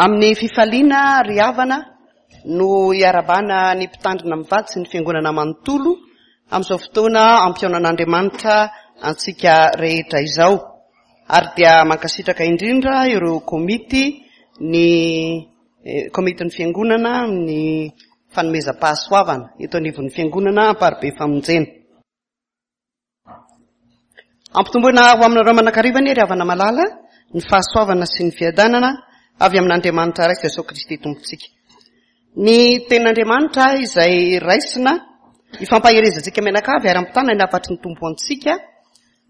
Amin'ny fifaliana ry havana no iarabana ny mpitandrina mivady sy ny fiangonana manontolo amin'izao fotoana ampihaonan'Andriamanitra antsika rehetra izao. Ary dia mankasitraka indrindra ireo komity ny eh, komitin'ny fiangonana amin'ny fanomezam-pahasoavana eto anivon'ny fiangonana Amparibe Famonjena. Ampitomboina ho aminareo manakariva anie ry havana malala ny fahasoavana sy ny fiadanana avy amin'Andriamanitra Ray sy Jesoa Kristy Tompontsika. Ny tenin'Andriamanitra izay raisina ifampaherezantsika mianakavy ary ampitana ny hafatry ny Tompo antsika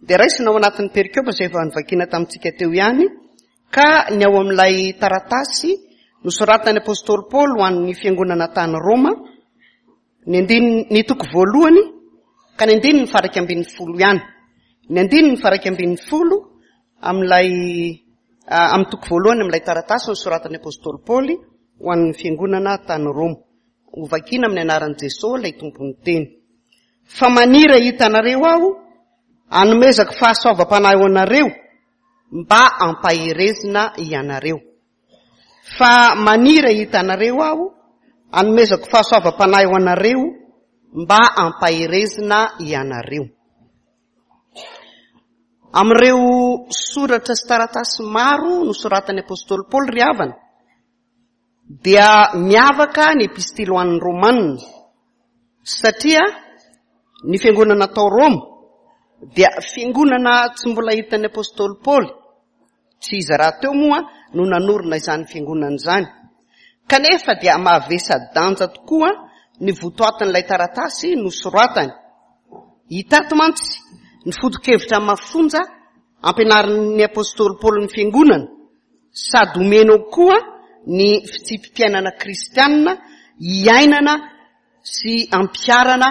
dia raisina ao anatin'ny perikopa izay efa novakiana tamintsika teo ihany ka ny ao amin'ilay taratasy nosoratan'ny Apostoly Paoly ho an'ny fiangonana tany Roma Ny andininy, ny toko voalohany ka ny andininy faha-11 ihany. Ny andininy faha-11 amin'ilay amin'ny toko voalohany amin'ilay taratasy nosoratan'ny Apostoly Paoly ho an'ny fiangonana tany Roma. Hovakiana amin'ny anaran'i Jesosy ilay Tompon'ny teny. Fa maniry hahita anareo aho, hanomezako fahasoavam-panahy ho anareo, mba hampaherezina ianareo. Fa maniry hahita anareo aho, hanomezako fahasoavam-panahy ho anareo, mba hampaherezina ianareo. Amin'ireo soratra sy taratasy maro nosoratan'ny apostoly Paoly ry havana, dia miavaka ny epistily ho an'ny Romanina, satria ny fiangonana tao Roma dia fiangonana tsy mbola hitan'ny apostoly Paoly, Tsy iza rahateo moa no nanorina izany fiangonana izany. Kanefa dia mavesa-danja tokoa ny votoatin'ilay taratasy nosoratany. Hita ato mantsy ny foto-kevitra mafonja ampianarin'ny apostoly Paoly ny fiangonana, sady omeny ao koa ny fitsipi-piainana kristianina iainana sy ampiharana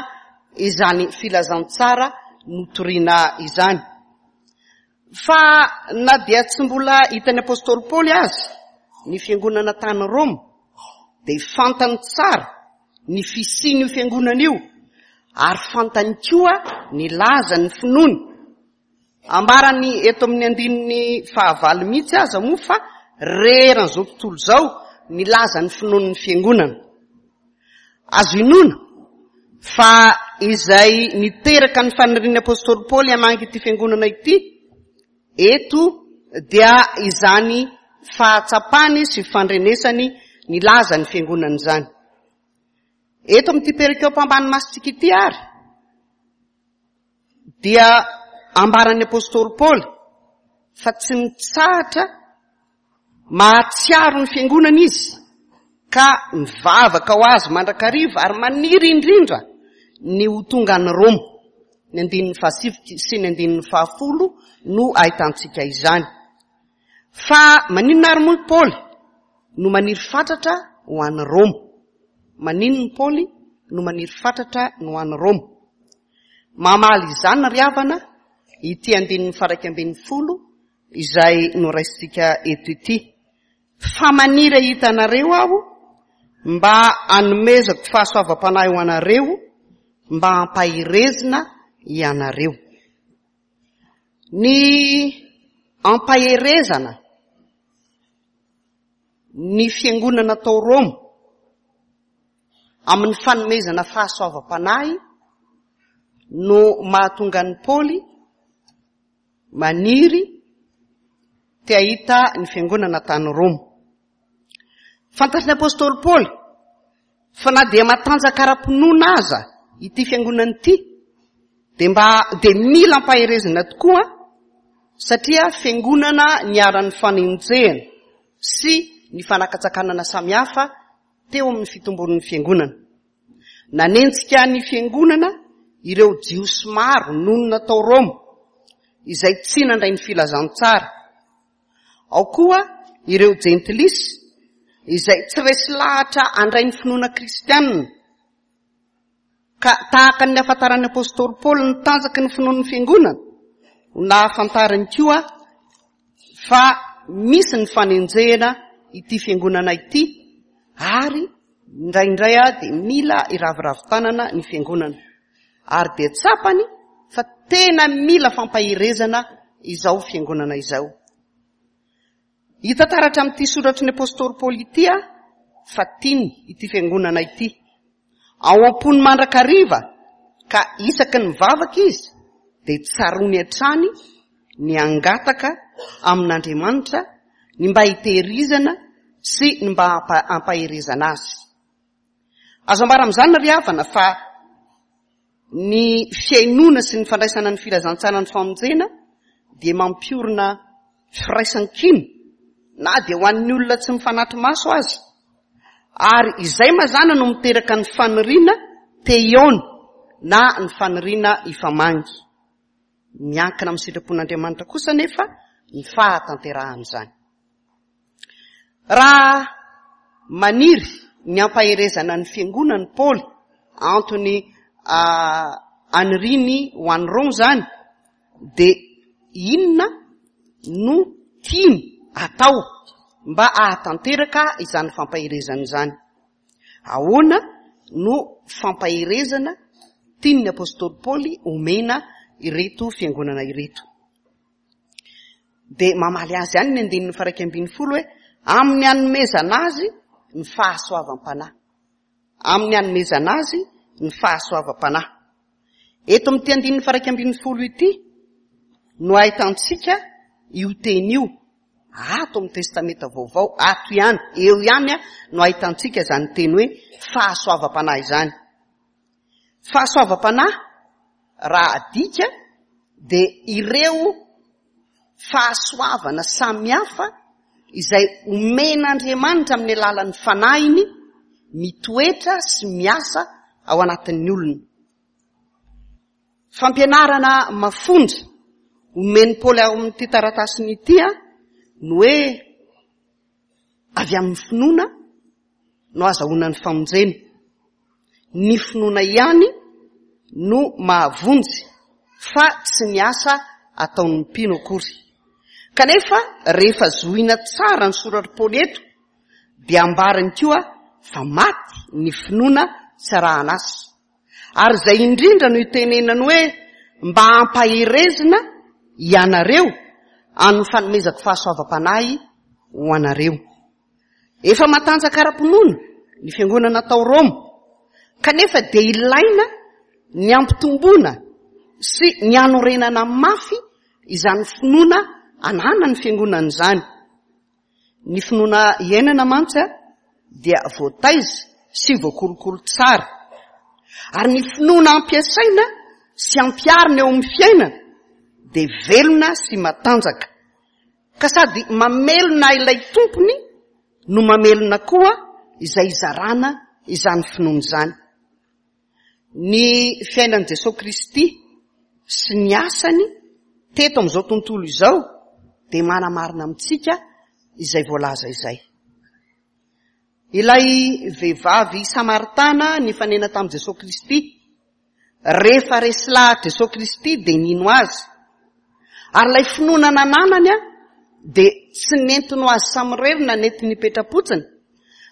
izany filazantsara notorina izany. Fa na dia tsy mbola hitan'ny apostoly Paoly aza ny fiangonana tany Roma, dia fantany tsara ny fisian'io fiangonana io ary fantany koa ny lazan'ny finoany. Ambarany eto amin'ny andininy fahavalo mihitsy aza moa fa reran'izao tontolo izao ny lazan'ny finoan'ny fiangonana. Azo inoana fa izay niteraka ny fanirian'ny apostoly Paoly hamangy ity fiangonana ity eto dia izany fahatsapany sy fandrenesany ny lazan'ny fiangonana izany. Eto amin'ity perikopa ambany masontsika ity ary dia ambaran'ny apostoly Paoly fa tsy mitsahatra Mahatsiaro ny Fiangonana izy ka mivavaka ho azy mandrakariva ary maniry indrindra ny ho tonga any Roma. Ny andininy fahasivy sy ny andininy fahafolo no ahitantsika izany. Fa maninona ary moa i Paoly no maniry fatratra ho any Roma? Maninona i Paoly no maniry fatratra ny ho any Roma? Mamaly izany ry havana ity andininy faharaika ambin'ny folo izay noraisintsika eto ity. Fa maniry hahita anareo aho mba hanomezako fahasoavam-panahy ho anareo mba hampaherezina ianareo. Ny ampaherezana ny fiangonana tao Roma amin'ny fanomezana fahasoavam-panahy no mahatonga an'i Paoly maniry te hahita ny fiangonana tany Roma. Fantatry ny apostoly Paoly fa na dia matanjaka ara-pinoana aza ity fiangonana ity dia mba dia mila ampaherezina tokoa satria fiangonana niharan'ny fanenjehana sy ny fanakatsakanana samihafa teo amin'ny fitombon'ny fiangonana. Nanenjika ny fiangonana ireo Jiosy maro nonina tao Roma, izay tsy nandray ny filazantsara. Ao koa ireo Jentilisa, izay tsy resy lahatra handray ny finoana kristianina. Ka tahaka ny nahafantaran'ny apostoly Paoly ny tanjaky ny finoan'ny fiangonana, no nahafantarany koa fa misy ny fanenjehana ity fiangonana ity ary indraindray dia mila iraviravy tanana ny fiangonana. Ary dia tsapany fa tena mila fampaherezana izao fiangonana izao. Hita taratra amin'ity soratry ny apostoly Paoly ity fa tiany ity fiangonana ity. Ao am-pony mandrakariva ka isaky ny mivavaka izy dia tsaroany hatrany ny hangataka amin'Andriamanitra ny mba hitehirizana sy ny mba hampaherezana azy. Azo ambara amin'izany ry havana fa ny fihainoana sy ny fandraisana ny filazantsaran'ny famonjena dia mampiorina firaisan-kina na dia ho an'ny olona tsy mifanatri-maso aza. Ary izay mazàna no miteraka ny faniriana te hihaona na ny faniriana hifamangy. Miankina amin'ny sitrapon'Andriamanitra kosa anefa ny fahatanterahan'izany. Raha maniry ny hampaherezana ny fiangonany Paoly, antony aniriany ho an'i Roma izany, dia inona no tiany atao mba hahatanteraka izany fampaherezana izany? Ahoana no fampaherezana tian'ny apostoly Paoly omena ireto fiangonana ireto? Dia mamaly azy ihany ny andininy faha-11 hoe, amin'ny hanomezana azy ny fahasoavam-panahy. Amin'ny hanomezana azy ny fahasoavam-panahy. Eto amin'ity andininy faha-11 ity no ahitantsika io teny io. Ato amin'ny Testamenta Vaovao, ato ihany, eo ihany no ahitantsika izany teny hoe fahasoavam-panahy izany. Fahasoavam-panahy raha adika dia ireo fahasoavana samihafa izay omen'Andriamanitra amin'ny alalan'ny fanahiny mitoetra sy miasa ao anatin'ny olona. Fampianarana mafonja omen'i Paoly ao amin'ity taratasiny ity no hoe avy amin'ny finoana no azahoana ny famonjena. Ny finoana ihany no mahavonjy fa tsy ny asa ataon'ny mpino akory. Kanefa rehefa zohina tsara ny soratr'i Paoly eto dia ambarany koa fa maty ny finoana tsy arahana asa. Ary izay indrindra no itenenany hoe mba hampaherezina ianareo amin'ny fanomezako fahasoavam-panahy ho anareo. Efa matanjaka ara-pinoana ny fiangonana tao Roma, kanefa dia ilaina ny hampitomboana sy ny hanorenana mafy izany finoana ananan'ny fiangonana izany. Ny finoana iainana mantsy dia voataiza sy voakolokolo tsara. Ary ny finoana ampiasaina sy ampiharina eo amin'ny fiainana dia velona sy matanjaka. Ka sady mamelona ilay tompony no mamelona koa izay izarana izany finoana izany. Ny fiainan'i Jesoa Kristy sy ny asany teto amin'izao tontolo izao dia manamarina amintsika izay voalaza izay. Ilay vehivavy samaritana nifanena tamin'i Jesoa Kristy, rehefa resy lahatra Jesoa Kristy dia nino azy. Ary ilay finoana nananany dia tsy nentiny ho azy samirery na nentiny hipetra-potsiny,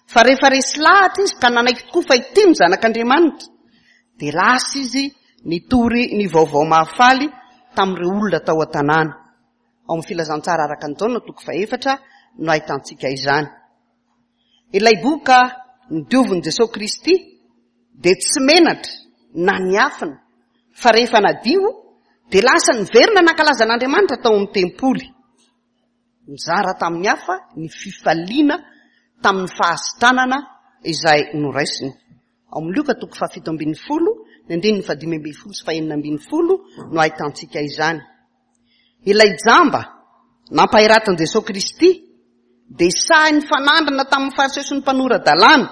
fa rehefa resy lahatra izy ka nanaiky tokoa fa ity no Zanak'Andriamanitra, dia lasa izy nitory ny vaovao mahafaly tamin'ireo olona tao an-tanàna. Ao amin'ny Filazantsara araka an'i Jaona toko fahefatra no ahitantsika izany. Ilay boka nodiovin'i Jesoa Kristy dia tsy menatra na niafina fa rehefa nadio dia lasa niverina nankalaza an'Andriamanitra tao amin'ny tempoly. Nizara tamin'ny hafa ny fifaliana tamin'ny fahasitranana izay noraisiny. Ao amin'ny Lioka toko fahafito ambin'ny folo, ny andininy fahadimy ambin'ny folo sy fahenina ambin'ny folo no ahitantsika izany. Ilay jamba nampahiratin'i Jesoa Kristy dia sahy nifanandrina tamin'ny Fariseo sy ny mpanora-dalàna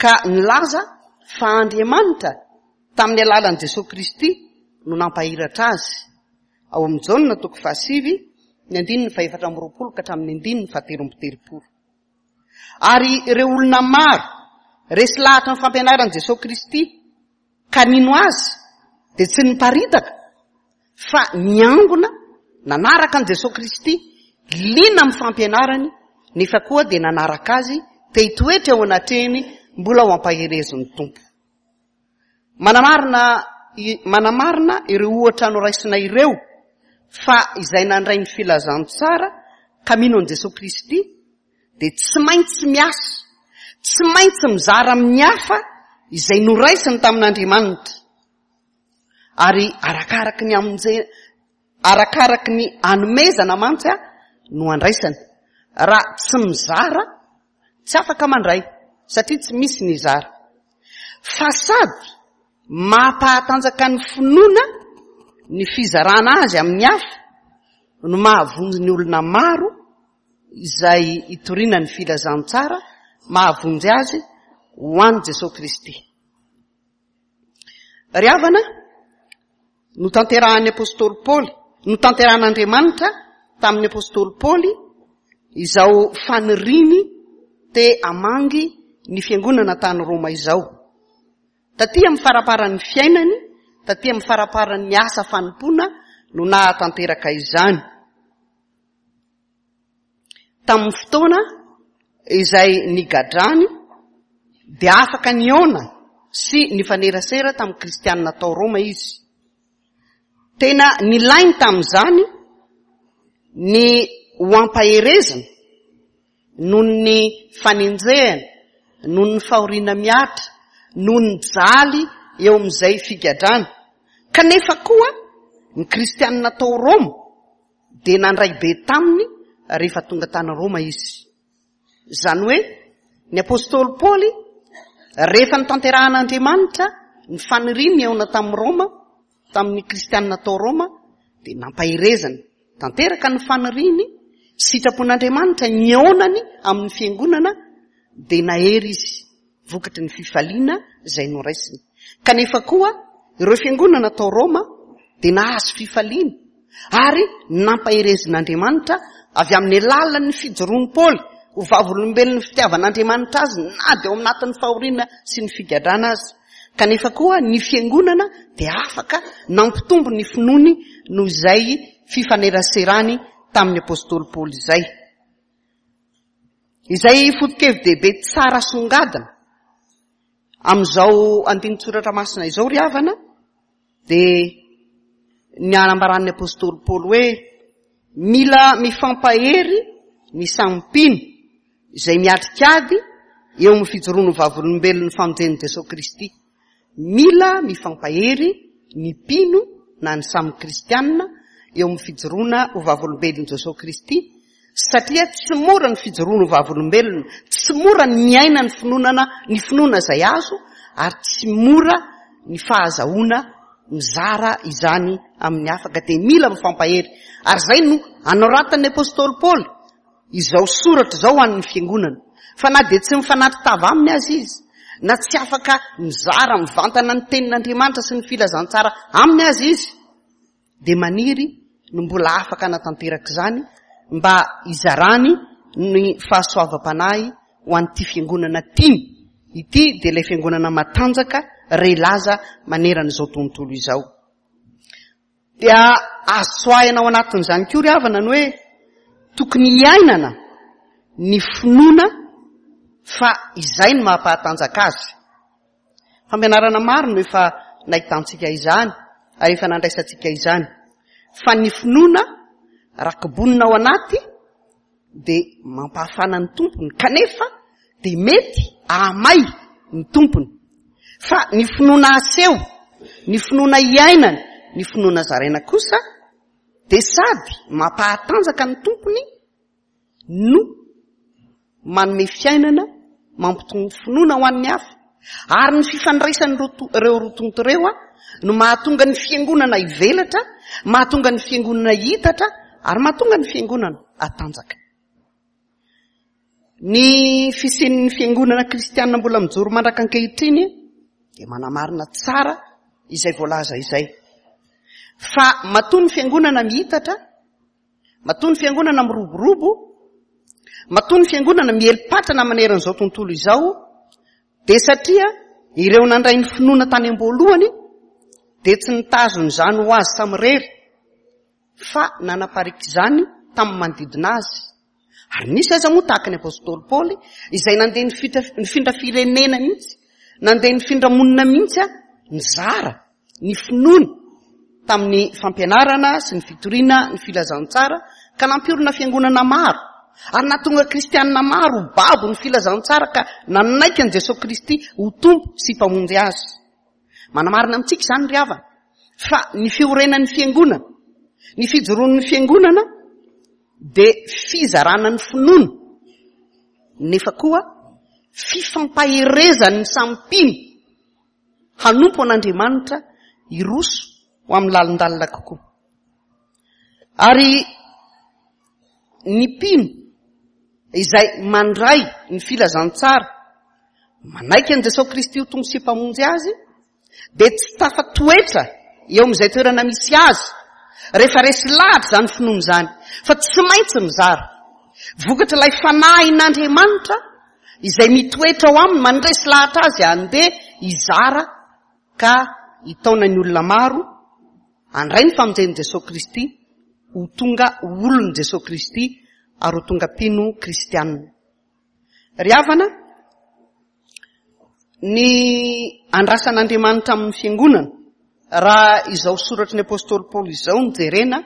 ka nilaza fa Andriamanitra tamin'ny alalan'i Jesoa Kristy no nampahiratra azy. Ao amin'ny Jaona toko fahasivy, ny andininy fahefatra amby roapolo ka hatramin'ny andininy fahatelo amby telopolo. Ary ireo olona maro resy lahatra ny fampianaran'i Jesoa Kristy ka nino azy dia tsy niparitaka fa niangona nanaraka an'i Jesoa Kristy, liana amin'ny fampianarany, nefa koa dia nanaraka azy te hitoetra eo anatrehiny mbola ho ampaherezin'ny Tompo. Manamarina manamarina ireo ohatra noraisina ireo fa izay nandray ny filazantsara ka mino an'i Jesoa Kristy dia tsy maintsy miasa, tsy maintsy mizara amin'ny hafa izay noraisiny tamin'Andriamanitra. Ary arakaraky ny amonje, arakaraky ny anomezana mantsy no andraisana. Raha tsy mizara, tsy afaka mandray, satria tsy misy ny hizara. Fa sady mampahatanjaka ny finoana ny fizarana azy amin'ny hafa no mahavonjy ny olona maro izay itoriana ny filazantsara mahavonjy azy ho an'i Jesoa Kristy. Ry havana, notanterahan'ny apostoly Paoly, notanterahan'Andriamanitra tamin'ny apostoly Paoly izao faniriany te hamangy ny fiangonana tany Roma izao. Taty amin'ny faramparan'ny fiainany, taty amin'ny faramparan'ny asa fanompoana no nahatanteraka izany. Tamin'ny fotoana izay nigadrany dia afaka nihaona sy nifanerasera tamin'ny kristianina tao Roma izy. Tena nilainy tamin'izany ny ho ampaherezina noho ny fanenjehana, noho ny fahoriana mihatra, noho ny jaly eo amin'izay figadrana. Kanefa koa ny kristianina tao Roma dia nandray be taminy rehefa tonga tany Roma izy. Izany hoe, ny apostoly Paoly, rehefa notanterahan'Andriamanitra ny faniriany nihaona tamin'i Roma, tamin'ny kristianina tao Roma, dia nampaherezany tanteraka ny faniriany, sitrapon'Andriamanitra nihaonany amin'ny fiangonana, dia nahery izy. vokatry ny fifaliana izay noraisiny. Kanefa koa, ireo fiangonana tao Roma dia nahazo fifaliana ary nampaherezin'Andriamanitra avy amin'ny alalan'ny fijoroan'i Paoly ho vavolombelon'ny fitiavan'Andriamanitra azy na dia ao anatin'ny fahoriana sy ny figadrana aza. Kanefa koa ny fiangonana dia afaka nampitombo ny finoany noho izay fifaneraserany tamin'ny apostoly Paoly izay. Izay foto-kevi-dehibe tsara asongadina amin'izao andinin-tsoratra masina izao ry havana dia ny anambaran'ny apostoly Paoly hoe mila mifampahery ny samy mpino izay miatrika ady eo amin'ny fijoroan'ny vavolombelon'ny famonjen'i Jesoa Kristy. Mila mifampahery ny mpino na ny samy kristianina eo amin'ny fijoroana ho vavolombelon'i Jesoa Kristy satria tsy mora ny fijoroana ho vavolombelona, tsy mora ny miaina ny finoanana ny finoana izay azo ary tsy mora ny fahazahoana mizara izany amin'ny hafa ka dia mila mifampahery. Ary izay no anoratan'ny apostoly Paoly izao soratra izao ho an'ny fiangonana, fa na dia tsy mifanatri-tava aminy aza izy, na tsy afaka mizara mivantana ny tenin'Andriamanitra sy ny filazantsara aminy aza izy, dia maniry no mbola afaka hanatanteraka izany mba hizarany ny fahasoavam-panahy ho an'ity fiangonana tiany ity, dia ilay fiangonana matanjaka re laza manerana izao tontolo izao. Dia azo tsoahina ao anatin'izany koa ry havana ny hoe tokony hiainana ny finoana fa izay no mampahatanjaka azy. Fampianarana maro no efa nahitantsika izany ary efa nandraisantsika izany. Fa ny finoana raha kobonina ao anaty dia mampahafana ny tompony kanefa dia mety ahamay ny tompony. Fa ny finoana aseho, ny finoana iainana, ny finoana zaraina kosa dia sady mampahatanjaka ny tompony no manome fiainana, mampitombo finoana ho an'ny hafa. Ary ny fifandraisan'ireo roa tonta ireo no mahatonga ny fiangonana hivelatra, mahatonga ny fiangonana hitatra, ary mahatonga ny fiangonana hatanjaka. Ny fisian'ny fiangonana kristianina mbola mijoro mandraka ankehitriny dia manamarina tsara izay voalaza izay. Fa matoa ny fiangonana mihitatra, Matoa ny fiangonana miroborobo, matoa ny fiangonana mieli-patrana maneran'izao tontolo izao, dia satria ireo nandray ny finoana tany am-boalohany dia tsy nitazona izany ho azy samirery fa nanapariaka izany tamin'ny manodidina azy. Ary nisy aza moa tahaka ny apostoly Paoly izay nandeha nifindra firenena mihitsy, nandeha nifindra monina mihitsy nizara ny finoany tamin'ny fampianarana sy ny fitoriana ny filazantsara ka nampiorina fiangonana maro ary nahatonga kristianina maro ho babo ny filazantsara ka nanaiky an'i Jesoa Kristy ho Tompo sy Mpamonjy azy. Manamarina amintsika izany ry havana fa ny fiorenan'ny fiangonana, ny fijoroan'ny fiangonana dia fizarana ny finoana nefa koa fifampaherezan'ny samy mpino hanompo an'Andriamanitra hiroso ho amin'ny lalindalina kokoa. Ary ny mpino izay mandray ny filazantsara, manaiky an'i Jesosy Kristy ho Tompo sy Mpamonjy azy, dia tsy tafatoetra eo amin'izay toerana misy azy rehefa resy lahatra izany finoana izany, fa tsy maintsy mizara. Vokatr'ilay fanahin'Andriamanitra izay mitoetra ao aminy, mandresy lahatra azy handeha hizara ka hitaona ny olona maro handray ny famonjen'i Jesoa Kristy, ho tonga olon'i Jesoa Kristy ary ho tonga mpino kristianina. Ry havana, ny andrasan'Andriamanitra amin'ny fiangonana, raha izao soratry ny apostoly Paoly izao no jerena,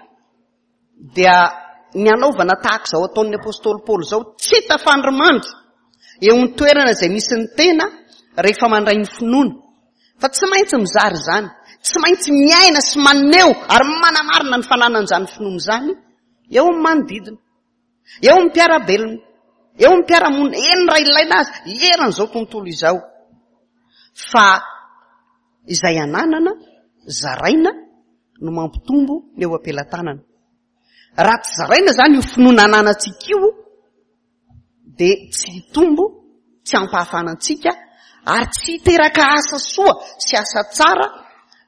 dia ny hanaovana tahaka izao ataon'ny apostoly Paoly izao, tsy tafandrimandry eo amin'ny toerana izay misy ny tena rehefa mandray ny finoana. Fa tsy maintsy mizara izany, tsy maintsy miaina sy maneho ary manamarina ny fananan'izany finoana izany eo amin'ny manodidina, eo amin'ny mpiara-belona, eo amin'ny mpiara-monina, eny raha ilaina aza, eran'izao tontolo izao. Fa izay ananana, zaraina, no mampitombo ny eo am-pelatanana. Raha tsy zaraina izany io finoana ananantsika io, dia tsy hitombo, tsy hampahafana antsika, ary tsy hiteraka asa soa sy asa tsara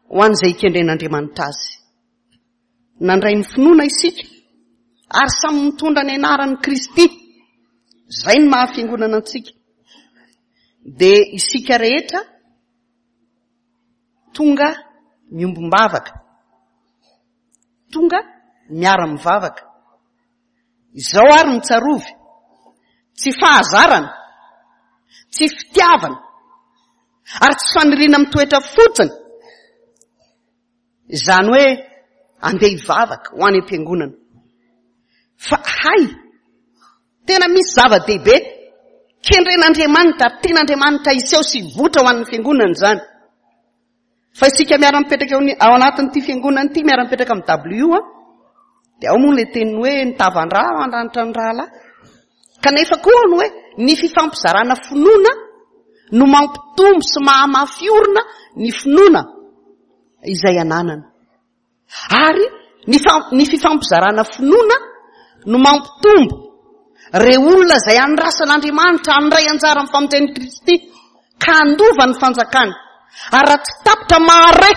ho an'izay ikendren'Andriamanitra azy. Nandray ny finoana isika, ary samy mitondra ny anaran'i Kristy. Izay no maha fiangonana antsika. Dia isika rehetra Tonga miombom-bavaka. Tonga miara-mivavaka. Izao ary no tsarovy, tsy fahazarana, tsy fitiavana, ary tsy faniriana mitoetra fotsiny, izany hoe andeha hivavaka ho any am-piangonana. Fa hay, Tena misy zava-dehibe kendren'Andriamanitra ary tian'Andriamanitra hiseho sy hivoitra ho an'ny fiangonana izany. Fa isika miara-mipetraka eo ao anatin'ity fiangonana ity, miara-mipetraka amin'ny W, dia ao moa ilay teny hoe ny tavan-dra mandranitra ny rahalahy. Kanefa koa ny hoe ny fifampizarana finoana no mampitombo sy mahamafy orina ny finoana izay ananana. Ary ny ny fifampizarana finoana no mampitombo ireo olona izay andrasan'Andriamanitra handray anjara amin'ny famonjen'i Kristy ka handova ny fanjakany. Ary raha tsy tapitra mahare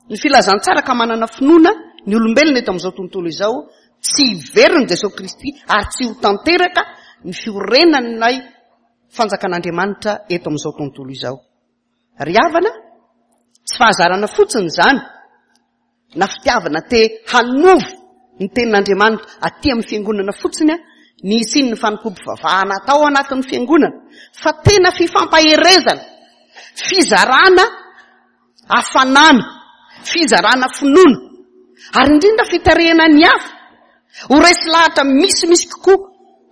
ny filazantsara ka manana finoana ny olombelona eto amin'izao tontolo izao, tsy hiverina Jesosy Kristy ary tsy ho tanteraka ny fiorenan'ilay fanjakan'Andriamanitra eto amin'izao tontolo izao. Ry havana, tsy fahazarana fotsiny izany, na fitiavana te hanovo ny tenin'Andriamanitra aty amin'ny fiangonana fotsiny ny hisian'ny fanompoam-pivavahana atao anatin'ny fiangonana, fa tena fifampaherezana, fizarana hafanana, fizarana finoana, ary indrindra fitarihana ny hafa ho resy lahatra misimisy kokoa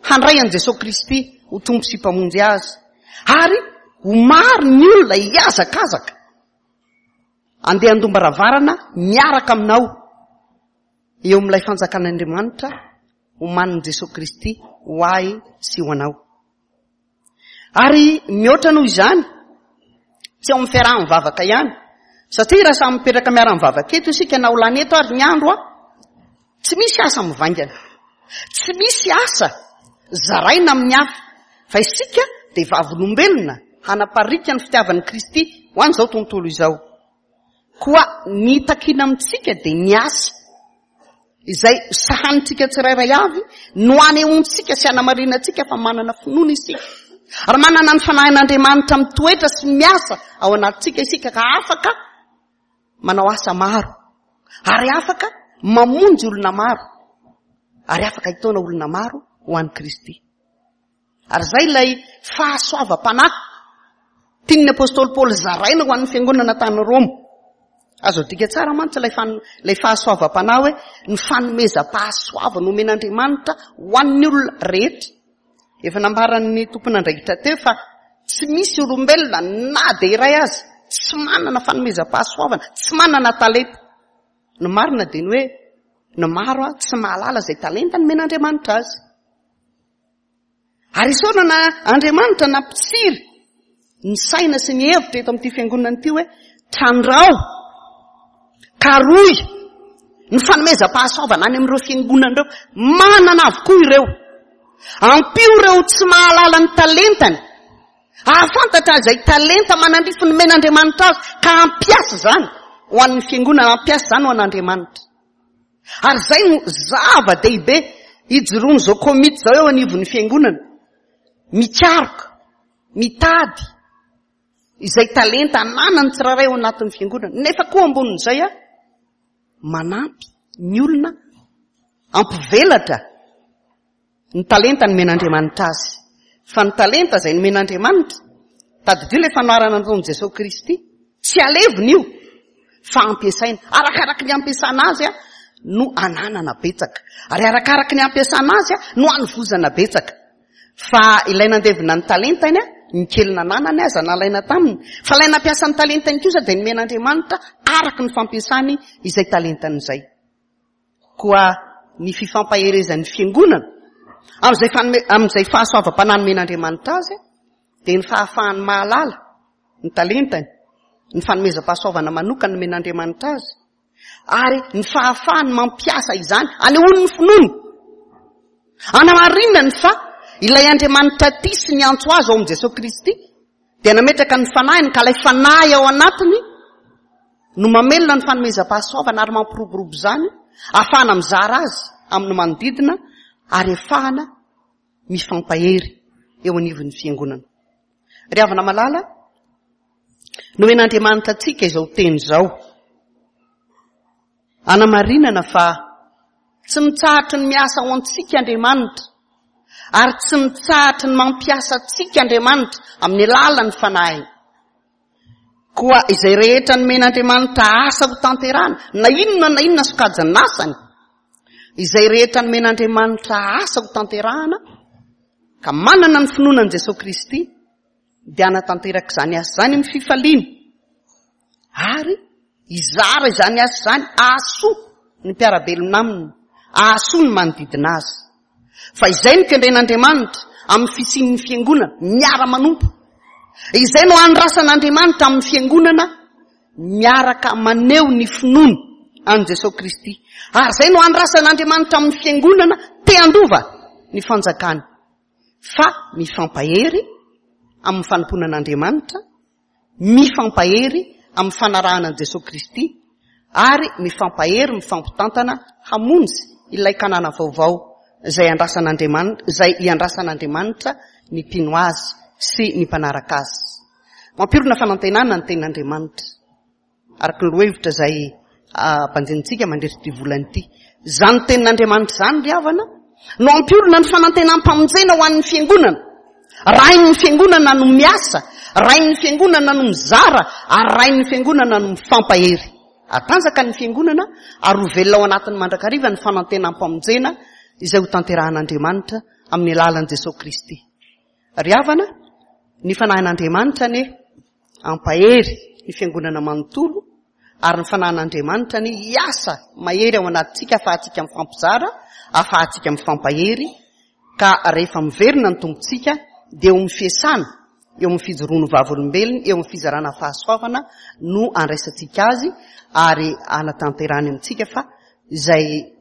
handray an'i Jesoa Kristy ho Tompo sy Mpamonjy azy. Ary ho maro ny olona hihazakazaka andeha handom-baravarana miaraka aminao eo amin'ilay fanjakan'Andriamanitra omanin'i Jesoa Kristy ho ahy sy ho anao. Ary mihoatra noho izany, tsy ao amin'ny fiaraha-mivavaka ihany, satria raha samy mipetraka miara-mivavaka eto isika na ho lany eto ary ny andro, Tsy misy asa mivaingana. Tsy misy asa zaraina amin'ny hafa. Fa isika dia vavolombelona hanapariaka ny fitiavan'i Kristy ho an'izao tontolo izao. Koa ny takiana amintsika dia ny asa izay sahanintsika tsirairay avy no anehoantsika sy anamarinantsika fa manana finoana isika. Ary manana ny fanahin'Andriamanitra mitoetra sy miasa ao anatintsika isika ka afaka manao asa maro ary afaka mamonjy olona maro ary afaka hitaona olona maro ho an'i Kristy. Ary izay ilay fahasoavam-panahy tian'ny apostoly Paoly zaraina ho an'ny fiangonana tany Roma. Azo adika tsara mantsy ilay fan, ilay fahasoavam-panahy hoe ny fanomezam-pahasoavana omen'Andriamanitra ho an'ny olona rehetra. Efa nambaran'ny tompon'andraikitra teo fa tsy misy olombelona na dia iray aza tsy manana fanomezam-pahasoavana, tsy manana talenta. Ny marina dia ny hoe ny maro tsy mahalala izay talenta nomen'Andriamanitra azy. Ary isaorana Andriamanitra nampitsiry ny saina sy ny hevitra eto amin'ity fiangonana ity hoe trandrao, karohy ny fanomezam-pahasoavana any amin'ireo fiangonana ireo. Manana avokoa ireo. Ampio ireo tsy mahalala ny talentany. Hahafantatra izay talenta manandrify nomen'Andriamanitra azy ka hampiasa izany ho an'ny fiangonana, hampiasa izany ho an'Andriamanitra. Ary izay no zava-dehibe ijoroan'izao komity izao eo anivon'ny fiangonana. Mikaroka, mitady izay talenta ananan'ny tsirairay ao anatin'ny fiangonana. Nefa koa ambonin'izay a, manampy ny olona hampivelatra Ny talenta nomen'Andriamanitra azy. Fa ny talenta izay nomen'Andriamanitra, tadidio ilay fanoharana nataon'i Jesoa Kristy, tsy alevina io, fa ampiasaina. Arakaraky ny ampiasana azy no ananana betsaka. Ary arakaraky ny ampiasana azy no anovozana betsaka. Fa ilay nandevina ny talentany, ny kely nananany aza nalaina taminy. Fa ilay nampiasa ny talentany kosa dia nomen'Andriamanitra araka ny fampiasany izay talentany izay. Koa ny fifampaherezan'ny fiangonana amin'izay fanome, amin'izay fahasoavam-panahy nomen'Andriamanitra azy dia ny fahafahany mahalala ny talentany, ny fanomezam-pahasoavana manokana nomen'Andriamanitra azy, ary ny fahafahany mampiasa izany anehoany ny finoany. Anamarinany fa ilay Andriamanitra tia sy niantso azy ao amin'i Jesosy Kristy dia nametraka ny fanahiny ka ilay fanahy ao anatiny no mamelona ny fanomezam-pahasoavana ary mampiroborobo izany, ahafahana mizara azy amin'ny manodidina ary ahafahana mifampahery eo anivon'ny fiangonana. Ry havana malala, nomen'Andriamanitra antsika izao teny izao. Anamarinana fa tsy mitsahatry ny miasa ao antsika Andriamanitra ary tsy mitsahatry ny mampiasa antsika Andriamanitra amin'ny alalan'ny fanahiny. Koa izay rehetra nomen'Andriamanitra asa ho tanterahana, na inona na inona sokajin'asany, izay rehetra nomen'Andriamanitra asa ho tanterahana, ka manana ny finoana an'i Jesosy Kristy, dia hanatanteraka izany asa izany amin'ny fifaliana. Ary hizara izany asa izany hahasoa ny mpiara-belona aminy, hahasoa ny manodidina azy. Fa izay no kendren'Andriamanitra amin'ny fisian'ny fiangonana, miara-manompo. Izay no andrasan'Andriamanitra amin'ny fiangonana, miaraka maneho ny finoany an'i Jesosy Kristy. Ary izay no andrasan'Andriamanitra amin'ny fiangonana te handova ny fanjakany. Fa mifampahery amin'ny fanompoana an'Andriamanitra, mifampahery amin'ny fanarahana an'i Jesoa Kristy ary mifampahery mifampitantana hamonjy ilay Kanana vaovao izay andrasan'Andriamanitra, izay iandrasan'Andriamanitra ny mpino Azy sy ny mpanaraka Azy. Mampirona fanantenana ny tenin'Andriamanitra. Araka ny lohahevitra izay ampanjenintsika mandritra ity volana ity. Izany tenin'Andriamanitra izany ry havana no hampiorina ny fanantenam-pamonjena ho an'ny fiangonana. Rain'ny fiangonana no miasa, rain'ny fiangonana no mizara, ary rain'ny fiangonana no mifampahery. Hatanjaka ny fiangonana ary ho velona ao anatiny mandrakariva ny fanantenam-pamonjena izay ho tanterahan'Andriamanitra amin'ny alalan'i Jesosy Kristy. Ry havana, ny fanahin'Andriamanitra anie hampahery ny fiangonana manontolo ary ny fanahin'Andriamanitra anie hiasa mahery ao anatintsika ahafahantsika mifampizara, ahafahantsika mifampahery ka rehefa miverina ny Tompontsika dia eo amin'ny fiasana, eo amin'ny fijoroan'ny vavolombelony, eo amin'ny fizarana fahasoavana no andraisantsika azy ary anatanterahany amintsika fa izay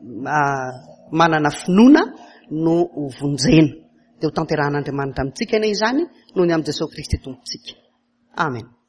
manana finoana no ho vonjena. Dia ho tanterahan'Andriamanitra amintsika anie izany noho ny amin'i Jesosy Kristy Tompontsika. Amen.